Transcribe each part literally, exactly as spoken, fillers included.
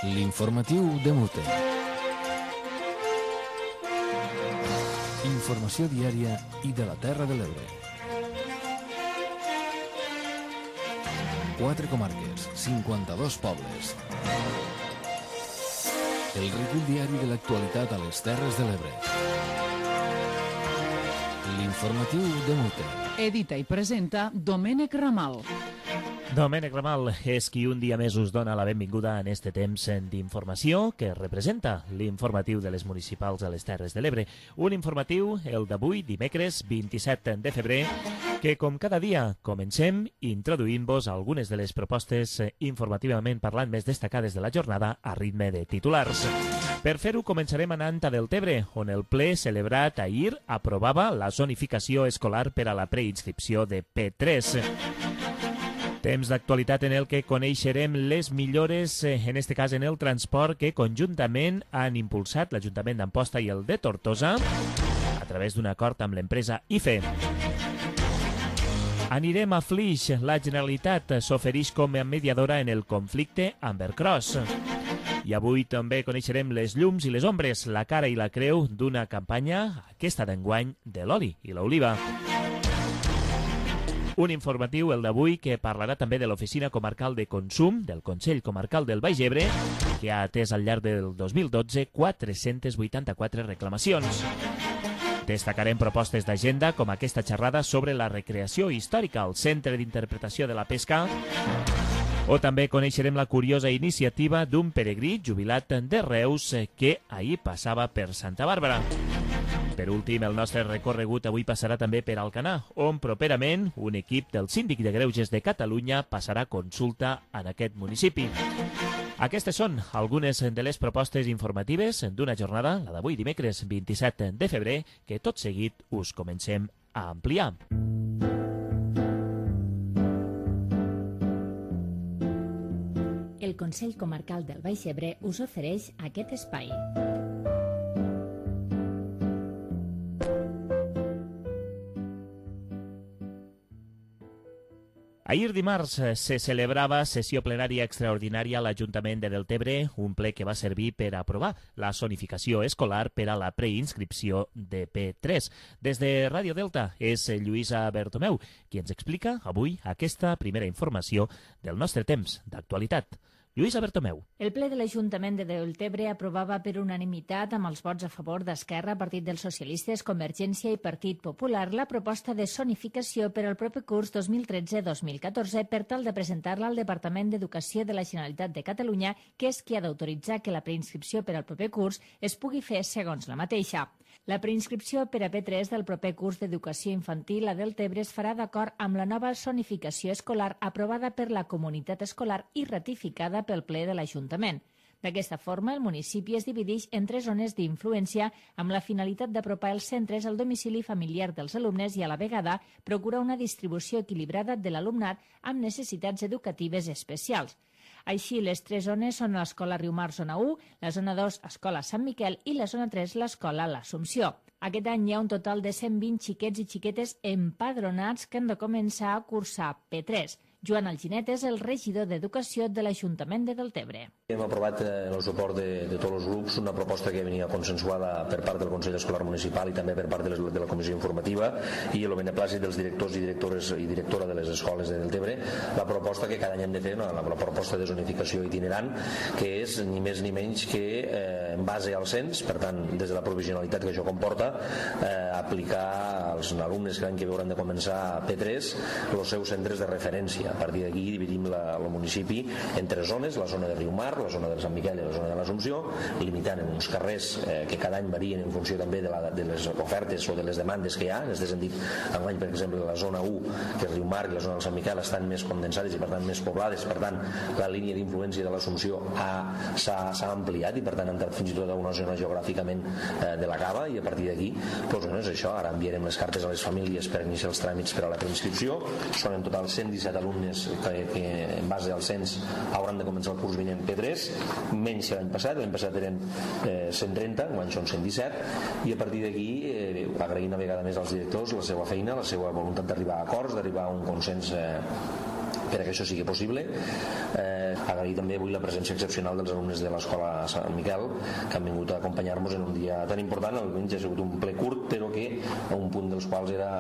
L'informatiu de Mute. Informació diària i de la Terra de l'Ebre. Quatre comarques, cinquanta-dos pobles. El recull diari de l'actualitat a les Terres de l'Ebre. L'informatiu de Mute. Edita i presenta Domènec Ramal. Domènec Ramal és qui un dia més us dona la benvinguda en este temps d'informació que representa l'informatiu de les municipals a les Terres de l'Ebre. Un informatiu, el d'avui, dimecres vint-i-set de febrer, que com cada dia comencem introduint-vos algunes de les propostes informativament parlant més destacades de la jornada a ritme de titulars. Per fer-ho començarem anant a Deltebre, on el ple celebrat ahir aprovava la zonificació escolar per a la preinscripció de P tres. Temps d'actualitat en el que coneixerem les millores, en este cas en el transport, que conjuntament han impulsat l'Ajuntament d'Amposta i el de Tortosa a través d'un acord amb l'empresa I F E. Anirem a Flix. La Generalitat s'ofereix com a mediadora en el conflicte amb Ercros. I avui també coneixerem les llums i les ombres, la cara i la creu d'una campanya, aquesta d'enguany, de l'oli i l'oliva. Un informatiu, el d'avui, que parlarà també de l'Oficina Comarcal de Consum del Consell Comarcal del Baix Ebre, que ha atès al llarg del dos mil dotze quatre-centes vuitanta-quatre reclamacions. Destacarem propostes d'agenda com aquesta xerrada sobre la recreació històrica al Centre d'Interpretació de la Pesca, o també coneixerem la curiosa iniciativa d'un peregrí jubilat de Reus que ahir passava per Santa Bàrbara. Per últim, el nostre recorregut avui passarà també per Alcanar, on properament un equip del Síndic de Greuges de Catalunya passarà consulta en aquest municipi. Aquestes són algunes de les propostes informatives d'una jornada, la d'avui dimecres vint-i-set de febrer, que tot seguit us comencem a ampliar. El Consell Comarcal del Baix Ebre us ofereix aquest espai. Ahir dimarts se celebrava sessió plenària extraordinària a l'Ajuntament de Deltebre, un ple que va servir per aprovar la zonificació escolar per a la preinscripció de P tres. Des de Ràdio Delta és Lluïsa Bertomeu, qui ens explica avui aquesta primera informació del nostre temps d'actualitat. Lluïsa Bertomeu. El ple de l'Ajuntament de Deltebre aprovava per unanimitat, amb els vots a favor d'Esquerra, Partit dels Socialistes, Convergència i Partit Popular, la proposta de zonificació per al proper curs dos mil tretze dos mil catorze per tal de presentar-la al Departament d'Educació de la Generalitat de Catalunya, que és qui ha d'autoritzar que la preinscripció per al proper curs es pugui fer segons la mateixa. La preinscripció per a P tres del proper curs d'Educació Infantil a Deltebre es farà d'acord amb la nova zonificació escolar aprovada per la comunitat escolar i ratificada pel ple de l'Ajuntament. D'aquesta forma, el municipi es divideix en tres zones d'influència amb la finalitat d'apropar els centres al domicili familiar dels alumnes i a la vegada procurar una distribució equilibrada de l'alumnat amb necessitats educatives especials. Així, les tres zones són l'Escola Riumar, zona u, la zona dos, Escola Sant Miquel i la zona tres, l'Escola L'Assumpció. Aquest any hi ha un total de cent vint xiquets i xiquetes empadronats que han de començar a cursar P tres. Joan Alginet és el regidor d'Educació de l'Ajuntament de Deltebre. Hem aprovat en el suport de, de tots els grups una proposta que venia consensuada per part del Consell Escolar Municipal i també per part de, les, de la Comissió Informativa i el beneplàcit dels directors i directores i directora de les escoles de Deltebre, la proposta que cada any hem de fer, la, la proposta de zonificació itinerant, que és ni més ni menys que eh, en base al cens, per tant, des de la provisionalitat que això comporta, eh, aplicar als alumnes que l'any que ve hauran de començar a P tres els seus centres de referència. A partir d'aquí dividim la, el municipi en tres zones, la zona de Riumar, la zona de Sant Miquel i la zona de l'Assumpció, limitant en uns carrers eh, que cada any varien en funció també de, la, de les ofertes o de les demandes que hi ha. En aquest sentit, enguany, per exemple, la zona u, que és Riumar, i la zona del Sant Miquel estan més condensades i per tant més poblades, per tant la línia d'influència de l'Assumpció s'ha ampliat i per tant ha entrat fins i tot a una zona geogràficament eh, de la Cava, i a partir d'aquí doncs, bueno, és això. Ara enviarem les cartes a les famílies per iniciar els tràmits per a la preinscripció. Són en total cent disset alumnes que, que en base al cens hauran de començar el curs vinent P tres, menys que l'any passat. L'any passat eren eh, cent trenta, l'any són cent disset, i a partir d'aquí eh, agrair una vegada més als directors la seva feina, la seva voluntat d'arribar a acords, d'arribar a un consens eh, per a que això sigui possible. Eh, Agrair també avui la presència excepcional dels alumnes de l'Escola Sant Miquel, que han vingut a acompanyar-nos en un dia tan important. El diumenge ha sigut un ple curt, però que un punt dels quals era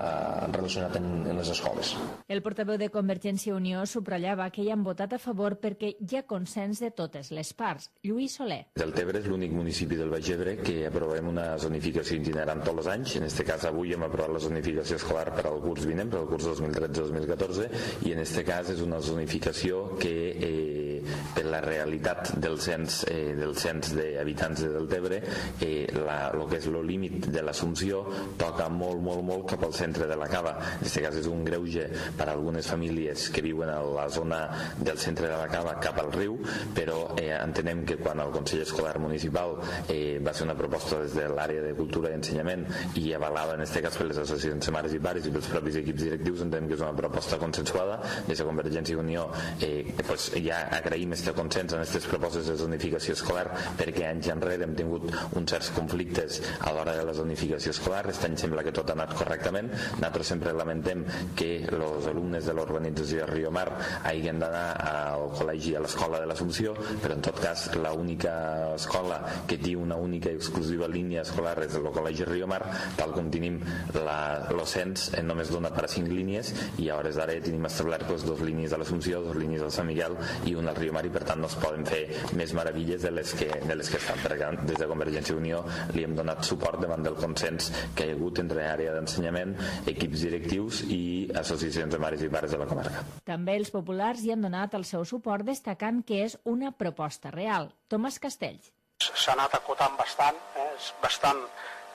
relacionat en, en les escoles. El portaveu de Convergència i Unió subratllava que hi han votat a favor perquè hi ha consens de totes les parts. Lluís Soler. Deltebre és l'únic municipi del Baix Ebre que aprovem una zonificació itinerant tots els anys. En aquest cas avui hem aprovat la zonificació escolar per al curs vinent, per al curs dos mil tretze dos mil catorze, i en aquest cas és una zonificació que eh, per la realitat del cens, eh, del cens d'habitants de Deltebre, eh, la, lo que és el límit de l'Assumpció toca molt, molt, molt cap al centre de la Cava. En aquest cas és un greuge per a algunes famílies que viuen a la zona del centre de la Cava cap al riu, però eh, entenem que quan el Consell Escolar Municipal eh, va fer una proposta des de l'àrea de Cultura i Ensenyament i avalada en aquest cas per les associacions de mares i pares i pels propis equips directius, entenem que és una proposta consensuada. Des de Convergència i Unió eh, pues ja agraïm este consens en aquestes propostes de zonificació escolar, perquè anys enrere hem tingut uns certs conflictes a l'hora de la zonificació escolar. Aquest any sembla que tot ha anat correctament. Nosaltres sempre lamentem que els alumnes de l'urbanització de Riomar hagin d'anar al col·legi, a l'escola de l'Assumpció, però en tot cas l'única escola que té una única i exclusiva línia escolar és el col·legi Riomar, tal com tenim el cens només dona per a cinc línies, i a hores d'ara tenim establert pues, dos línies a l'Assumpció, dos línies al Sant Miquel i una al Riomar, i per tant no es poden fer més meravilles de les que, de les que estan, perquè des de Convergència i Unió li hem donat suport davant del consens que hi ha hagut entre àrea d'ensenyament, equips directius i associacions de mares i pares de la comarca. També els populars hi han donat el seu suport, destacant que és una proposta real. Tomàs Castells. S'ha anat acotant bastant, eh? és bastant,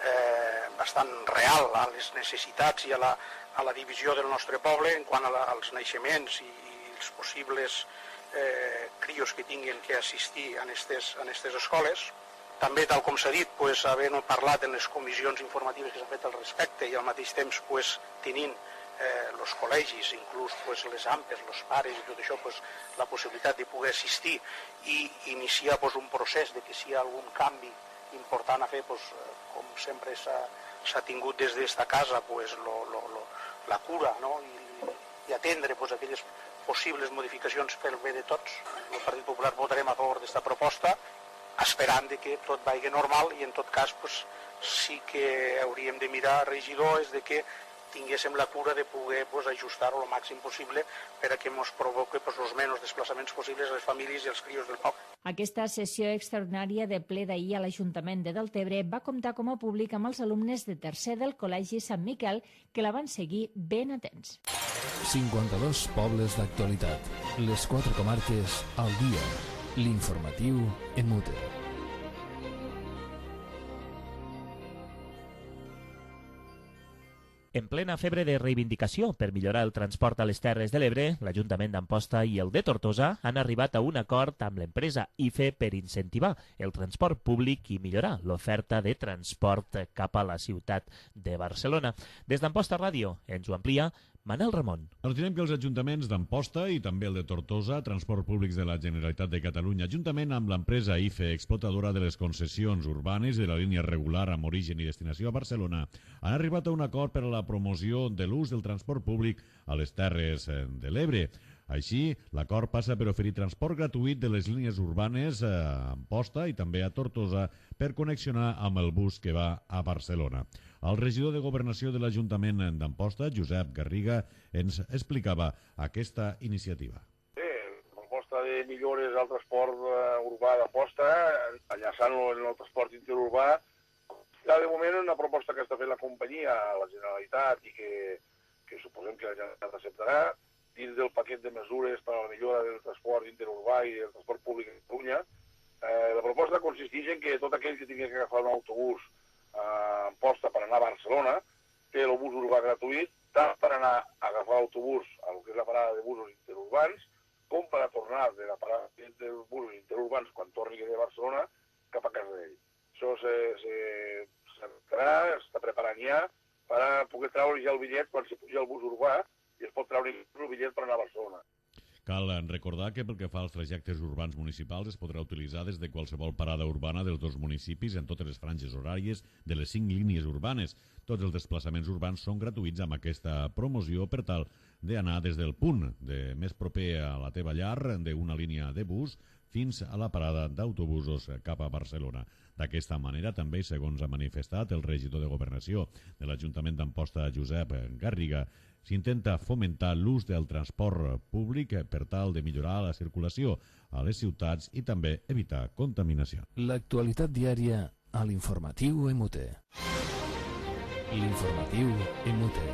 eh, bastant real a les necessitats i a la, a la divisió del nostre poble en quant a la, als naixements i, i els possibles eh, crios que tinguin que assistir a aquestes escoles. També, tal com s'ha dit, pues, havent parlat en les comissions informatives que s'han fet al respecte i al mateix temps pues, tenint els eh, col·legis, inclús pues, les ampes, els pares i tot això, pues, la possibilitat de poder assistir i iniciar pues, un procés de que si hi ha algun canvi important a fer, pues, com sempre s'ha tingut des d'esta casa, pues, lo, lo, lo, la cura, no? I, i atendre pues, aquelles possibles modificacions pel bé de tots. El Partit Popular votarem a favor d'esta proposta, esperant de que tot vagi normal, i en tot cas pues, sí que hauríem de mirar, regidor, és de que tinguéssim la cura de poder pues, ajustar-ho el màxim possible per a que ens provoqui pues, els menys desplaçaments possibles a les famílies i als crios del poble. Aquesta sessió extraordinària de ple d'ahir a l'Ajuntament de Deltebre va comptar com a públic amb els alumnes de tercer del Col·legi Sant Miquel, que la van seguir ben atents. cinquanta-dos pobles d'actualitat. Les quatre comarques al dia. L'informatiu en Mute. En plena febre de reivindicació per millorar el transport a les Terres de l'Ebre, l'Ajuntament d'Amposta i el de Tortosa han arribat a un acord amb l'empresa I F E per incentivar el transport públic i millorar l'oferta de transport cap a la ciutat de Barcelona. Des d'Amposta Ràdio ens ho amplia Manel Ramon. Ens direm que els ajuntaments d'Amposta i també el de Tortosa, Transport Públics de la Generalitat de Catalunya, juntament amb l'empresa I F E, explotadora de les concessions urbanes de la línia regular amb origen i destinació a Barcelona, han arribat a un acord per a la promoció de l'ús del transport públic a les Terres de l'Ebre. Així, l'acord passa per oferir transport gratuït de les línies urbanes a Amposta i també a Tortosa per connexionar amb el bus que va a Barcelona. El regidor de Governació de l'Ajuntament d'Amposta, Josep Garriga, ens explicava aquesta iniciativa. Sí, la proposta de millores al transport urbà d'Amposta, enllaçant-lo en el transport interurbà, ja de moment una proposta que està fent la companyia a la Generalitat i que, que suposem que la Generalitat acceptarà, dins del paquet de mesures per a la millora del transport interurbà i del transport públic a Catalunya. Eh, la proposta consisteix en que tot aquell que tingui que agafar un autobús a Amposta per anar a Barcelona té el bus urbà gratuït, tant per anar a agafar l'autobús a lo que és la parada de busos interurbans, com per a tornar de la parada dels busos interurbans quan torni de Barcelona cap a casa d'ell. Això s'està preparant ja per a poder treure ja el bitllet quan s'hi puja el bus urbà i es pot treure el bitllet per anar a Barcelona. Cal recordar que pel que fa als trajectes urbans municipals es podrà utilitzar des de qualsevol parada urbana dels dos municipis en totes les franges horàries de les cinc línies urbanes. Tots els desplaçaments urbans són gratuïts amb aquesta promoció per tal d'anar des del punt de més proper a la teva llar d'una línia de bus fins a la parada d'autobusos cap a Barcelona. D'aquesta manera, també, segons ha manifestat el regidor de Governació de l'Ajuntament d'Amposta, Josep Garriga, s'intenta fomentar l'ús del transport públic per tal de millorar la circulació a les ciutats i també evitar contaminació. L'actualitat diària a l'informatiu M U T. L'informatiu M U T.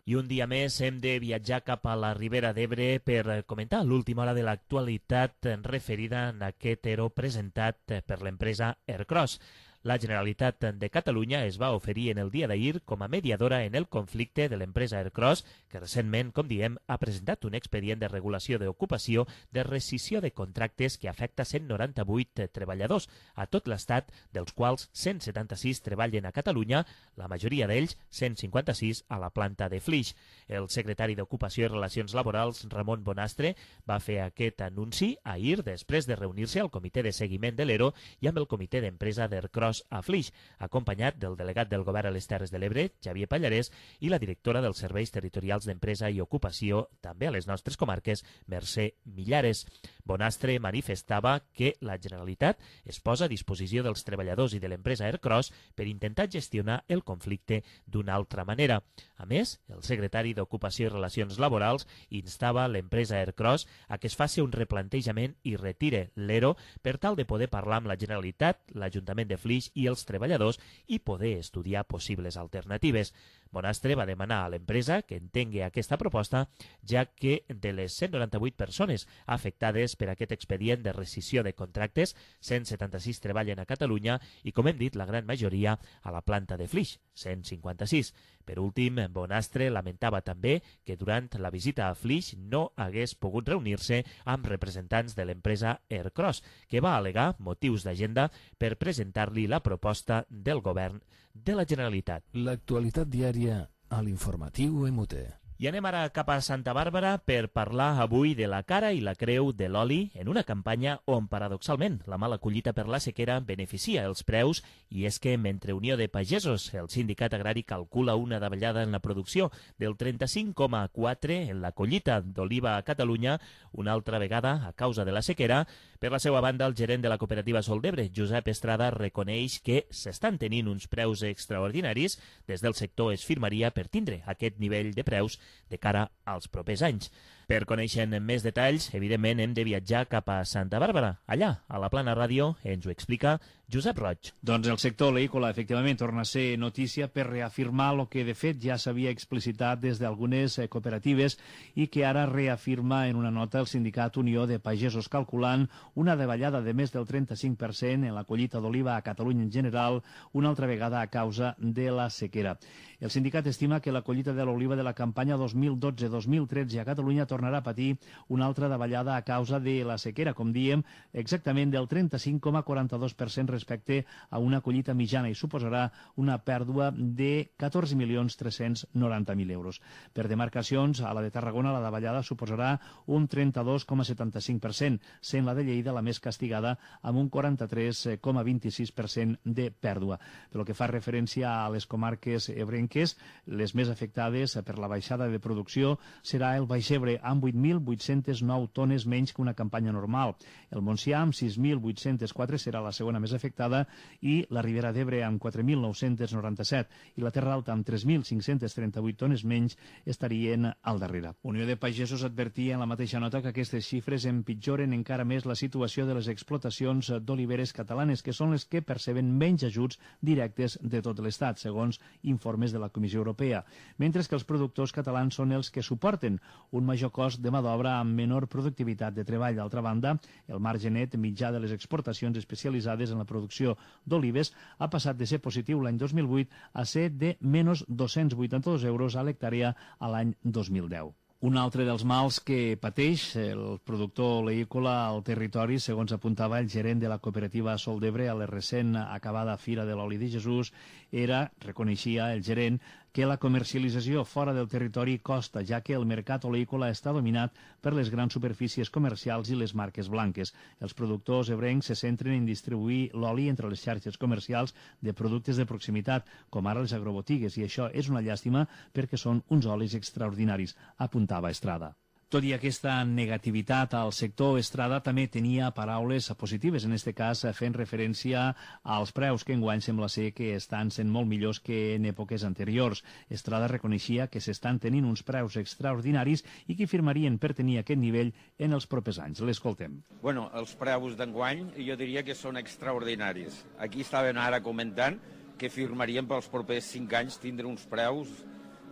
I un dia més hem de viatjar cap a la Ribera d'Ebre per comentar l'última hora de l'actualitat referida a aquest ero presentat per l'empresa Ercros. La Generalitat de Catalunya es va oferir en el dia d'ahir com a mediadora en el conflicte de l'empresa Ercros, que recentment, com diem, ha presentat un expedient de regulació d'ocupació de rescissió de contractes que afecta cent noranta-vuit treballadors a tot l'Estat, dels quals cent setanta-sis treballen a Catalunya, la majoria d'ells, cent cinquanta-sis, a la planta de Flix. El secretari d'Ocupació i Relacions Laborals, Ramon Bonastre, va fer aquest anunci ahir després de reunir-se al comitè de seguiment de l'Ero i amb el comitè d'empresa d'Ercros a Flix, acompanyat del delegat del Govern a les Terres de l'Ebre, Xavier Pallarès, i la directora dels Serveis Territorials d'Empresa i Ocupació, també a les nostres comarques, Mercè Millares. Bonastre manifestava que la Generalitat es posa a disposició dels treballadors i de l'empresa Ercros per intentar gestionar el conflicte d'una altra manera. A més, el secretari d'Ocupació i Relacions Laborals instava l'empresa Ercros a que es faci un replantejament i retire l'Ero per tal de poder parlar amb la Generalitat, l'Ajuntament de Flix i els treballadors i poder estudiar possibles alternatives. Bonastre va demanar a l'empresa que entengui aquesta proposta, ja que de les cent noranta-vuit persones afectades per aquest expedient de rescissió de contractes, cent setanta-sis treballen a Catalunya i, com hem dit, la gran majoria a la planta de Flix, cent cinquanta-sis. Per últim, Bonastre lamentava també que durant la visita a Flix no hagués pogut reunir-se amb representants de l'empresa Ercros, que va al·legar motius d'agenda per presentar-li la proposta del govern de la Generalitat. L'actualitat diària a l'informatiu M U T. I anem ara cap a Santa Bàrbara per parlar avui de la cara i la creu de l'oli en una campanya on, paradoxalment, la mala collita per la sequera beneficia els preus, i és que, mentre Unió de Pagesos, el sindicat agrari, calcula una davallada en la producció del trenta-cinc coma quatre en la collita d'oliva a Catalunya, una altra vegada a causa de la sequera, per la seva banda, el gerent de la cooperativa Sol d'Ebre, Josep Estrada, reconeix que s'estan tenint uns preus extraordinaris. Des del sector es firmaria per tindre aquest nivell de preus de cara als propers anys. Per conèixer més detalls, evidentment, hem de viatjar cap a Santa Bàrbara. Allà, a la Plana Ràdio, ens ho explica Josep Roig. Doncs el sector oleícola, efectivament, torna a ser notícia per reafirmar el que, de fet, ja s'havia explicitat des d'algunes cooperatives i que ara reafirma en una nota el sindicat Unió de Pagesos, calculant una davallada de més del trenta-cinc per cent en la collita d'oliva a Catalunya en general, una altra vegada a causa de la sequera. El sindicat estima que la collita de l'oliva de la campanya dos mil dotze dos mil tretze a Catalunya tornarà a patir una altra davallada a causa de la sequera, com diem, exactament del trenta-cinc coma quaranta-dos per cent respecte a una collita mitjana, i suposarà una pèrdua de catorze milions tres-cents noranta mil euros. Per demarcacions, a la de Tarragona la davallada suposarà un trenta-dos coma setanta-cinc per cent, sent la de Lleida la més castigada amb un quaranta-tres coma vint-i-sis per cent de pèrdua. Pel que fa referència a les comarques ebrenques, les més afectades per la baixada de producció serà el Baix Ebre, amb vuit mil vuit-cents nou tones menys que una campanya normal. El Montsià, amb sis mil vuit-cents quatre, serà la segona més afectada, i la Ribera d'Ebre, amb quatre mil nou-cents noranta-set, i la Terra Alta, amb tres mil cinc-cents trenta-vuit tones menys, estarien al darrere. Unió de Pagesos advertia en la mateixa nota que aquestes xifres empitjoren encara més la situació de les explotacions d'oliveres catalanes, que són les que perceben menys ajuts directes de tot l'Estat, segons informes de la Comissió Europea, mentre que els productors catalans són els que suporten un major cost de mà d'obra amb menor productivitat de treball. D'altra banda, el marge net mitjà de les exportacions especialitzades en la producció d'olives ha passat de ser positiu l'any dos mil vuit a ser de menys dos-cents vuitanta-dos euros a l'hectàrea a l'any dos mil deu. Un altre dels mals que pateix el productor oleícola al territori, segons apuntava el gerent de la cooperativa Sol d'Ebre a la recent acabada Fira de l'Oli de Jesús, era, reconeixia el gerent, que la comercialització fora del territori costa, ja que el mercat oleícola està dominat per les grans superfícies comercials i les marques blanques. Els productors ebrencs se centren en distribuir l'oli entre les xarxes comercials de productes de proximitat, com ara les agrobotigues, i això és una llàstima perquè són uns olis extraordinaris, apuntava Estrada. Tot i aquesta negativitat al sector, Estrada també tenia paraules positives, en aquest cas fent referència als preus, que enguany sembla ser que estan sent molt millors que en èpoques anteriors. Estrada reconeixia que s'estan tenint uns preus extraordinaris i que firmarien per tenir aquest nivell en els propers anys. L'escoltem. Bueno, els preus d'enguany jo diria que són extraordinaris. Aquí estaven ara comentant que firmarien pels propers cinc anys tindre uns preus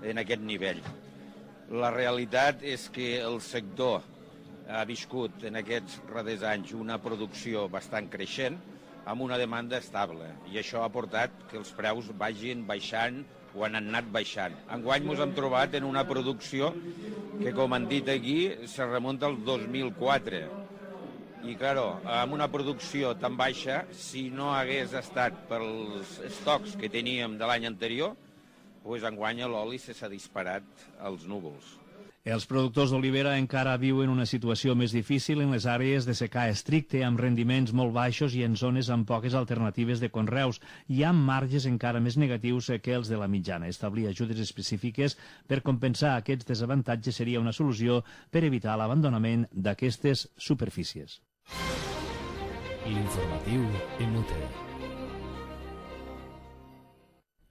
en aquest nivell. La realitat és que el sector ha viscut en aquests darrers anys una producció bastant creixent amb una demanda estable i això ha portat que els preus vagin baixant o han anat baixant. Enguany ens hem trobat en una producció que, com han dit aquí, se remunta al dos mil quatre. I, claro, amb una producció tan baixa, si no hagués estat pels estocs que teníem de l'any anterior, pues enguany l'oli s'ha disparat als núvols. Els productors d'olivera encara viuen una situació més difícil en les àrees de secà estricte, amb rendiments molt baixos i en zones amb poques alternatives de conreus, i amb marges encara més negatius que els de la mitjana. Establir ajudes específiques per compensar aquests desavantatges seria una solució per evitar l'abandonament d'aquestes superfícies. L'informatiu en Muter.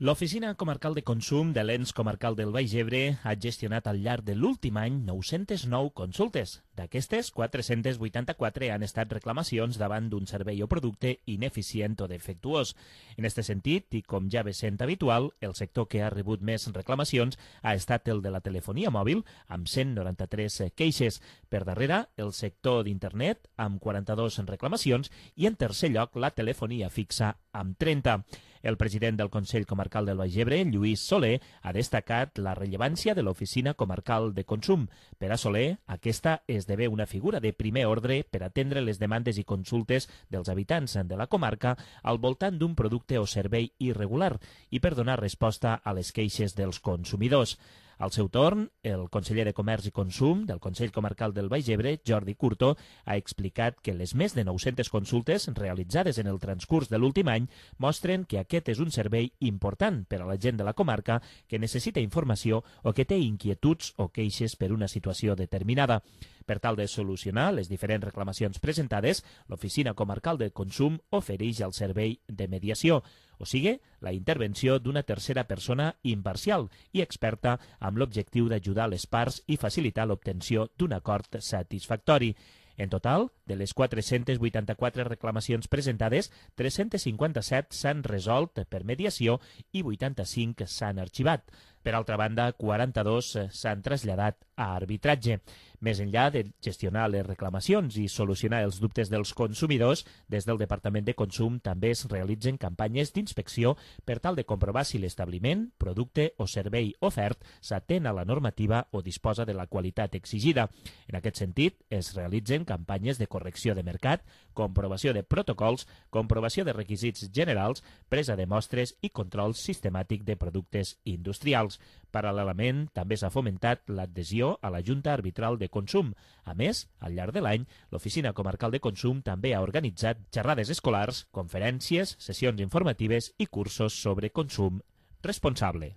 L'Oficina Comarcal de Consum de l'Ens Comarcal del Baix Ebre ha gestionat al llarg de l'últim any nou-centes nou consultes. D'aquestes, quatre-centes vuitanta-quatre han estat reclamacions davant d'un servei o producte ineficient o defectuós. En aquest sentit, i com ja ve sent habitual, el sector que ha rebut més reclamacions ha estat el de la telefonia mòbil, amb cent noranta-tres queixes. Per darrere, el sector d'internet, amb quaranta-dues reclamacions, i en tercer lloc, la telefonia fixa, amb trenta. El president del Consell Comarcal del Baix Ebre, Lluís Soler, ha destacat la rellevància de l'Oficina Comarcal de Consum. Per a Soler, aquesta esdevé una figura de primer ordre per atendre les demandes i consultes dels habitants de la comarca al voltant d'un producte o servei irregular i per donar resposta a les queixes dels consumidors. Al seu torn, el conseller de Comerç i Consum del Consell Comarcal del Baix Ebre, Jordi Curto, ha explicat que les més de nou-centes consultes realitzades en el transcurs de l'últim any mostren que aquest és un servei important per a la gent de la comarca que necessita informació o que té inquietuds o queixes per una situació determinada. Per tal de solucionar les diferents reclamacions presentades, l'Oficina Comarcal de Consum ofereix el servei de mediació, o sigui, la intervenció d'una tercera persona imparcial i experta amb l'objectiu d'ajudar les parts i facilitar l'obtenció d'un acord satisfactori. En total, de les quatre-centes vuitanta-quatre reclamacions presentades, tres-centes cinquanta-set s'han resolt per mediació i vuitanta-cinc s'han arxivat. Per altra banda, quaranta-dos s'han traslladat a arbitratge. Més enllà de gestionar les reclamacions i solucionar els dubtes dels consumidors, des del Departament de Consum també es realitzen campanyes d'inspecció per tal de comprovar si l'establiment, producte o servei ofert s'atén a la normativa o disposa de la qualitat exigida. En aquest sentit, es realitzen campanyes de correcció de mercat, comprovació de protocols, comprovació de requisits generals, presa de mostres i control sistemàtic de productes industrials. Paral·lelament, també s'ha fomentat l'adhesió a la Junta Arbitral de Consum. A més, al llarg de l'any, l'Oficina Comarcal de Consum també ha organitzat xerrades escolars, conferències, sessions informatives i cursos sobre consum responsable.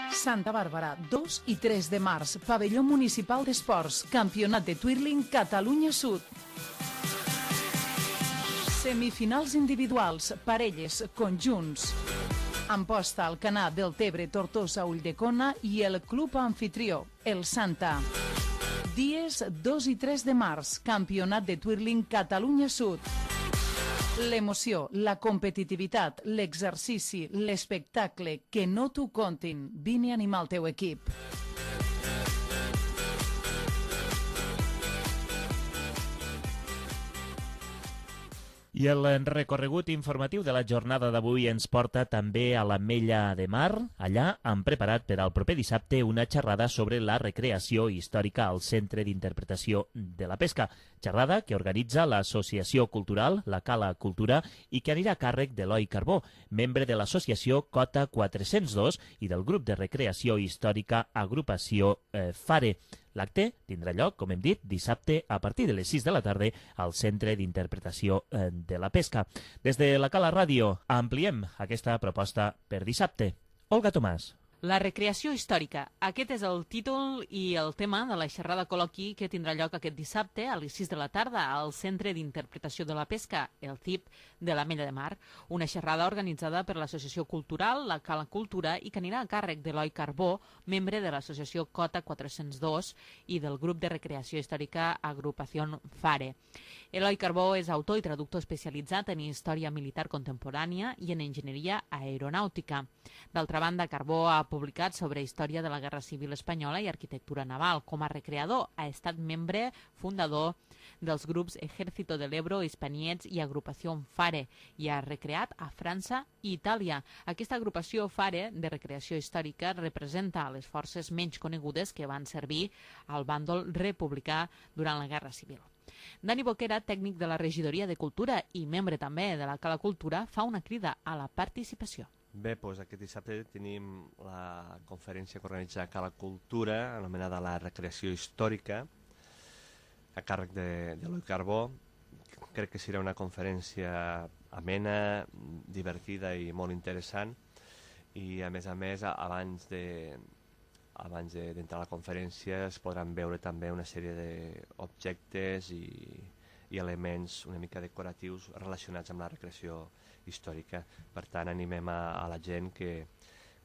Santa Bàrbara, dos i tres de març, Pavelló Municipal d'Esports, Campionat de Twirling Catalunya Sud. Semifinals individuals, parelles, conjunts. Amposta al Canà del Tebre, Tortosa, Ulldecona i el club anfitrió, el Santa. Dies dos i tres de març, Campionat de Twirling Catalunya Sud. L'emoció, la competitivitat, l'exercici, l'espectacle, que no t'ho contin. Vine a animar el teu equip. I el recorregut informatiu de la jornada d'avui ens porta també a l'Ametlla de Mar. Allà han preparat per al proper dissabte una xerrada sobre la recreació històrica al Centre d'Interpretació de la Pesca. Xerrada que organitza l'Associació Cultural, la Cala Cultura, i que anirà a càrrec d'Eloi Carbó, membre de l'associació Cota quatre-cents dos i del grup de recreació històrica Agrupació eh, Fare. L'acte tindrà lloc, com hem dit, dissabte a partir de les sis de la tarda al Centre d'Interpretació de la Pesca. Des de la Cala Ràdio ampliem aquesta proposta per dissabte. Olga Tomàs. La recreació històrica. Aquest és el títol i el tema de la xerrada col·loqui que tindrà lloc aquest dissabte a les sis de la tarda al Centre d'Interpretació de la Pesca, el C I P de l'Ametlla de Mar. Una xerrada organitzada per l'Associació Cultural, la Cala Cultura, i que anirà a càrrec d'Eloi Carbó, membre de l'associació Cota quatre-cents dos i del grup de recreació històrica Agrupació Fare. Eloi Carbó és autor i traductor especialitzat en història militar contemporània i en enginyeria aeronàutica. D'altra banda, Carbó ha publicat sobre història de la Guerra Civil Espanyola i arquitectura naval. Com a recreador, ha estat membre fundador dels grups Ejército del Ebro, Hispaniets i Agrupació Fare i ha recreat a França i Itàlia. Aquesta agrupació Fare de recreació històrica representa les forces menys conegudes que van servir al bàndol republicà durant la Guerra Civil. Dani Boquera, tècnic de la Regidoria de Cultura i membre també de la Cala Cultura, fa una crida a la participació. Bé, doncs aquest dissabte tenim la conferència que organitza Cala Cultura, anomenada la recreació històrica, a càrrec d'Eloi Carbó. Crec que serà una conferència amena, divertida i molt interessant. I a més a més, abans de abans d'entrar a la conferència es podran veure també una sèrie d'objectes i, i elements una mica decoratius relacionats amb la recreació històrica. Per tant, animem a, a la gent que,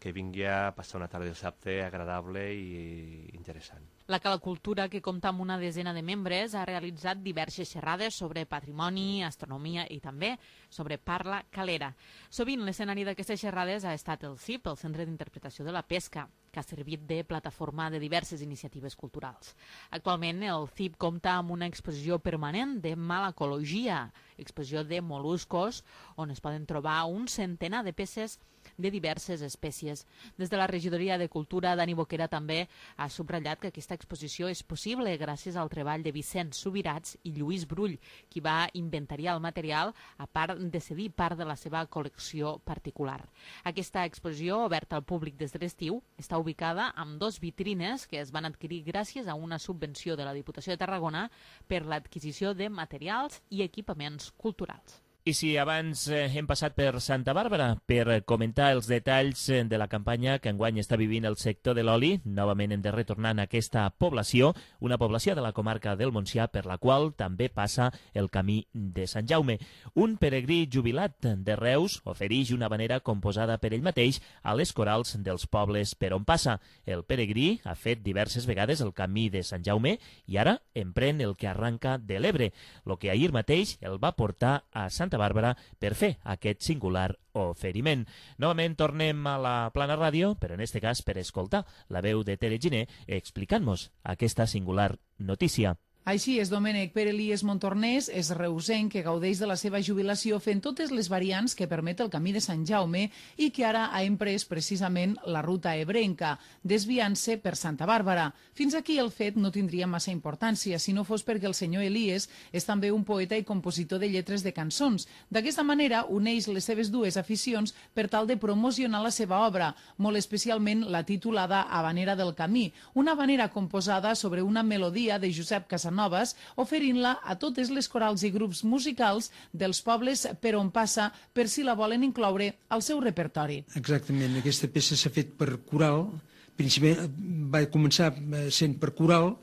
que vingui a passar una tarda de dissabte agradable i interessant. La Cala Cultura, que compta amb una desena de membres, ha realitzat diverses xerrades sobre patrimoni, astronomia i també sobre parla calera. Sovint l'escenari d'aquestes xerrades ha estat el C I P, el Centre d'Interpretació de la Pesca, que ha servit de plataforma de diverses iniciatives culturals. Actualment el C I P compta amb una exposició permanent de malacologia, exposició de mol·luscos, on es poden trobar un centenar de peces de diverses espècies. Des de la Regidoria de Cultura, Dani Boquera també ha subratllat que aquesta exposició és possible gràcies al treball de Vicent Subirats i Lluís Brull, qui va inventariar el material a part de cedir part de la seva col·lecció particular. Aquesta exposició, oberta al públic des de l'estiu, està ubicada amb dos vitrines que es van adquirir gràcies a una subvenció de la Diputació de Tarragona per l'adquisició de materials i equipaments culturals. I si abans eh, hem passat per Santa Bàrbara per comentar els detalls de la campanya que enguany està vivint el sector de l'oli, novament hem de retornar a aquesta població, una població de la comarca del Montsià per la qual també passa el camí de Sant Jaume. Un peregrí jubilat de Reus ofereix una vanera composada per ell mateix a les corals dels pobles per on passa. El peregrí ha fet diverses vegades el camí de Sant Jaume i ara emprèn el que arranca de l'Ebre, el que ahir mateix el va portar a Sant Santa Bàrbara per fer aquest singular oferiment. Novament tornem a la Plana Ràdio, però en aquest cas per escoltar la veu de Tere Giner explicant-nos aquesta singular notícia. Així és, Domènec. Pere Elies Montornès és reusenc que gaudeix de la seva jubilació fent totes les variants que permet el camí de Sant Jaume i que ara ha emprès precisament la ruta ebrenca, desviant-se per Santa Bàrbara. Fins aquí el fet no tindria massa importància si no fos perquè el senyor Elies és també un poeta i compositor de lletres de cançons. D'aquesta manera uneix les seves dues aficions per tal de promocionar la seva obra, molt especialment la titulada Havanera del Camí, una havanera composada sobre una melodia de Josep Casanova Noves, oferint-la a totes les corals i grups musicals dels pobles per on passa per si la volen incloure al seu repertori. Exactament, aquesta peça s'ha fet per coral, principalment va començar sent per coral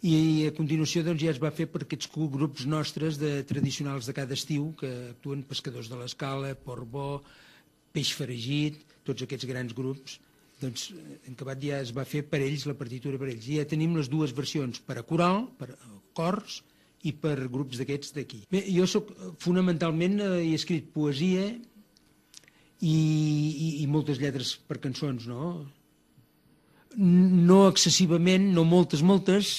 i a continuació doncs, ja es va fer per aquests grups nostres de tradicionals de cada estiu que actuen Pescadors de l'Escala, Portbó, Peix Faragit, tots aquests grans grups. Doncs en acabat ja es va fer per ells, la partitura per ells. I ja tenim les dues versions, per a coral, per a cors i per grups d'aquests d'aquí. Bé, jo soc, fonamentalment eh, he escrit poesia i, i, i moltes lletres per cançons, no? No excessivament, no moltes, moltes,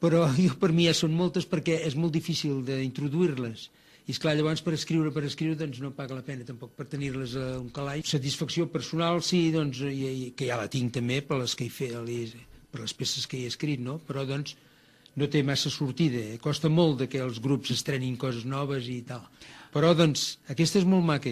però jo per mi ja són moltes perquè és molt difícil d'introduir-les. I esclar, llavors per escriure, per escriure, doncs no paga la pena tampoc per tenir-les a un calaix. Satisfacció personal, sí, doncs, i, i, que ja la tinc també per les que he fet, per les peces que he escrit, no? Però doncs no té massa sortida, eh? Costa molt de que els grups estrenin coses noves i tal. Però, doncs, aquesta és molt maca.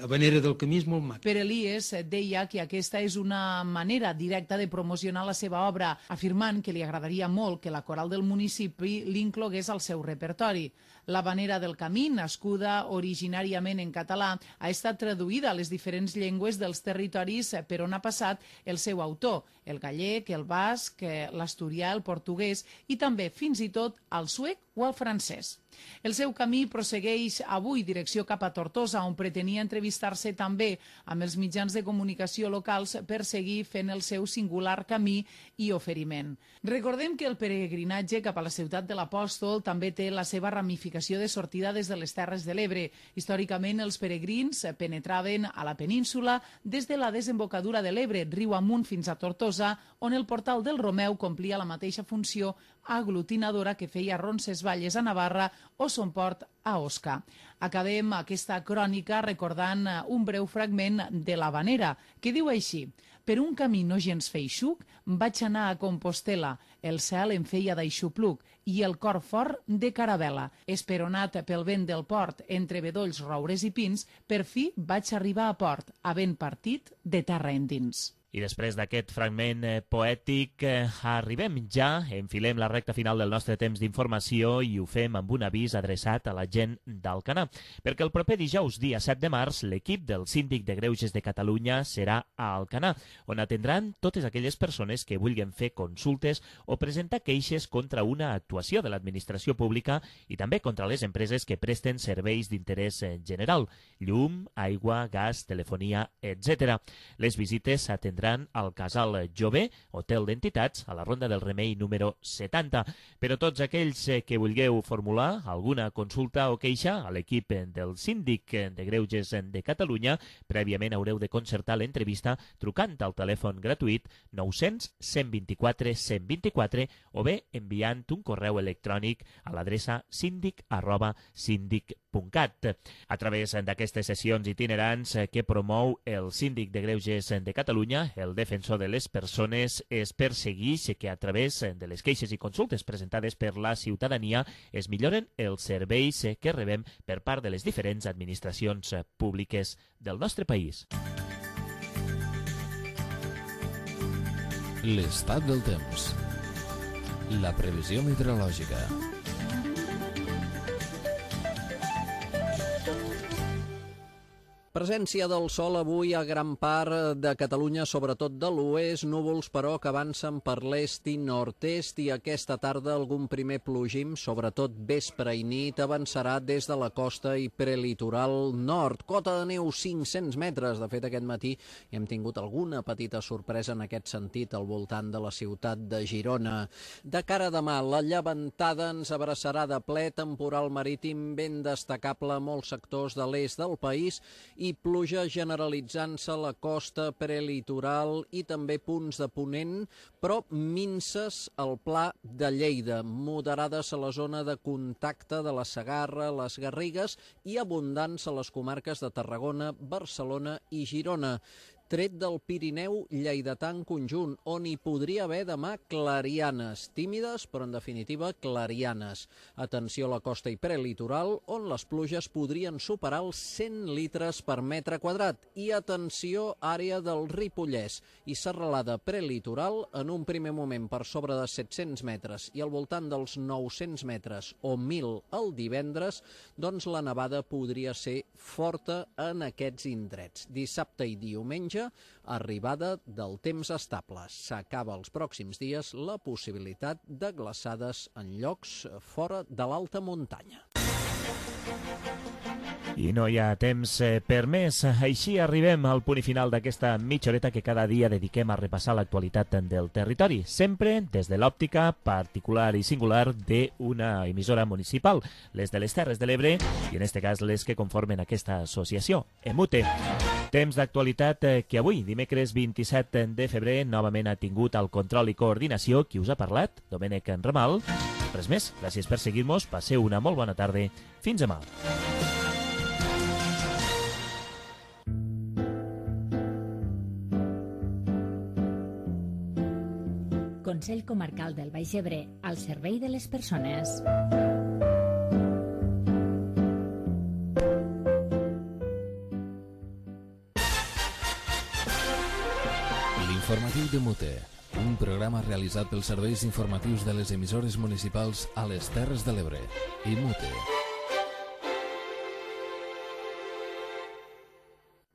Habanera del Camí és molt maca. Per Elies deia que aquesta és una manera directa de promocionar la seva obra, afirmant que li agradaria molt que la coral del municipi l'inclogués al seu repertori. L'Habanera del Camí, nascuda originàriament en català, ha estat traduïda a les diferents llengües dels territoris per on ha passat el seu autor, el gallec, el basc, l'asturià, el portuguès i també, fins i tot, el suec o el francès. El seu camí prossegueix avui direcció cap a Tortosa, on pretenia entrevistar-se també amb els mitjans de comunicació locals per seguir fent el seu singular camí i oferiment. Recordem que el peregrinatge cap a la ciutat de l'Apòstol també té la seva ramificació de sortida des de les Terres de l'Ebre. Històricament, els peregrins penetraven a la península des de la desembocadura de l'Ebre, riu amunt fins a Tortosa, on el portal del Romeu complia la mateixa funció aglutinadora que feia Roncesvalles a Navarra o Son Port a Osca. Acabem aquesta crònica recordant un breu fragment de l'Habanera, que diu així: per un camí no gens feixuc vaig anar a Compostela, el cel em feia d'aixopluc i el cor fort de caravela. Esperonat pel vent del port, entre bedolls, roures i pins, per fi vaig arribar a port, havent partit de terra endins. I després d'aquest fragment eh, poètic eh, arribem ja, enfilem la recta final del nostre temps d'informació i ho fem amb un avís adreçat a la gent d'Alcanar, perquè el proper dijous, dia set de març, l'equip del Síndic de Greuges de Catalunya serà a Alcanar, on atendran totes aquelles persones que vulguin fer consultes o presentar queixes contra una actuació de l'administració pública i també contra les empreses que presten serveis d'interès general, llum, aigua, gas, telefonia, etcètera. Les visites s'atendran al Casal Jové, hotel d'entitats, a la Ronda del Remei número setanta. Però tots aquells que vulgueu formular alguna consulta o queixa a l'equip del Síndic de Greuges de Catalunya, prèviament haureu de concertar l'entrevista trucant al telèfon gratuït nou-cents cent vint-i-quatre cent vint-i-quatre o bé enviant un correu electrònic a l'adreça síndic arroba síndic punt cat. A través d'aquestes sessions itinerants que promou el Síndic de Greuges de Catalunya, el defensor de les persones es persegueix que a través de les queixes i consultes presentades per la ciutadania es milloren els serveis que rebem per part de les diferents administracions públiques del nostre país. L'estat del temps. La previsió meteorològica. Presència del sol avui a gran part de Catalunya, sobretot de l'oest, núvols però que avancen per l'est i nord-est i aquesta tarda algun primer plogim, sobretot vespre i nit, avançarà des de la costa i prelitoral nord. Cota de neu cinc-cents metres, de fet aquest matí hem tingut alguna petita sorpresa en aquest sentit al voltant de la ciutat de Girona. De cara a demà, la llevantada ens abraçarà de ple, temporal marítim ben destacable a molts sectors de l'est del país i pluja generalitzant-se a la costa prelitoral i també punts de ponent, però minses al pla de Lleida, moderades a la zona de contacte de la Segarra, les Garrigues i abundants a les comarques de Tarragona, Barcelona i Girona. Tret del Pirineu lleidatà en conjunt, on hi podria haver demà clarianes, tímides però en definitiva clarianes. Atenció a la costa i prelitoral, on les pluges podrien superar els cent litres per metre quadrat. I atenció àrea del Ripollès i serralada prelitoral, en un primer moment per sobre de set-cents metres i al voltant dels nou-cents metres o mil el divendres, doncs la nevada podria ser forta en aquests indrets. Dissabte i diumenge, arribada del temps estable. S'acaba els pròxims dies la possibilitat de glaçades en llocs fora de l'alta muntanya. I no hi ha temps per més. Així arribem al punt i final d'aquesta mitja horeta que cada dia dediquem a repassar l'actualitat del territori, sempre des de l'òptica particular i singular d'una emissora municipal, les de les Terres de l'Ebre i en aquest cas les que conformen aquesta associació, EMUTE. Temps d'actualitat que avui, dimecres vint-i-set de febrer, novament ha tingut el control i coordinació. Qui us ha parlat? Domènec Ramal. Res més, gràcies per seguir-nos, passeu una molt bona tarda. Fins demà. Consell Comarcal del Baix Ebre, al servei de les persones. L'informatiu de Mute, un programa realitzat pels serveis informatius de les emissores municipals a les Terres de l'Ebre i Mute.